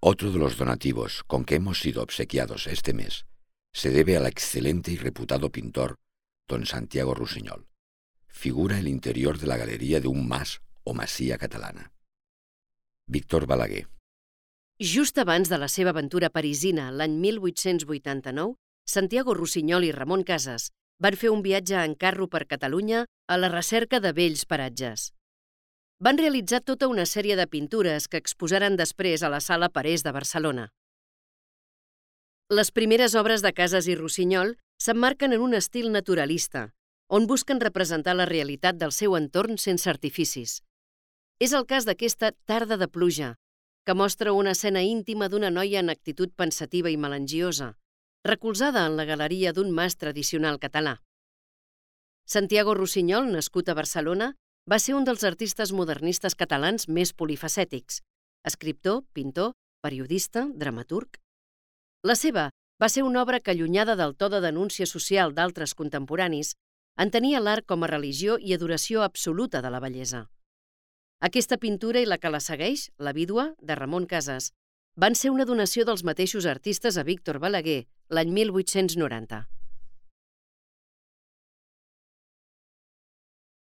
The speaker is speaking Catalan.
Otro de los donativos con que hemos sido obsequiados este mes se debe al excelente y reputado pintor don Santiago Rusiñol. Figura el interior de la galeria de un mas o masia catalana. Víctor Balaguer. Just abans de la seva aventura parisina, l'any 1889, Santiago Rusiñol i Ramon Casas van fer un viatge en carro per Catalunya a la recerca de vells paratges. Van realitzar tota una sèrie de pintures que exposaren després a la Sala Parés de Barcelona. Les primeres obres de Casas i Rusiñol s'emmarquen en un estil naturalista, on busquen representar la realitat del seu entorn sense artificis. És el cas d'aquesta Tarda de pluja, que mostra una escena íntima d'una noia en actitud pensativa i melangiosa, recolzada en la galeria d'un mas tradicional català. Santiago Rusiñol, nascut a Barcelona, va ser un dels artistes modernistes catalans més polifacètics: escriptor, pintor, periodista, dramaturg. La seva va ser una obra que, allunyada del to de denúncia social d'altres contemporanis, entenia l'art com a religió i adoració absoluta de la bellesa. Aquesta pintura i la que la segueix, La vídua, de Ramon Casas, van ser una donació dels mateixos artistes a Víctor Balaguer l'any 1890.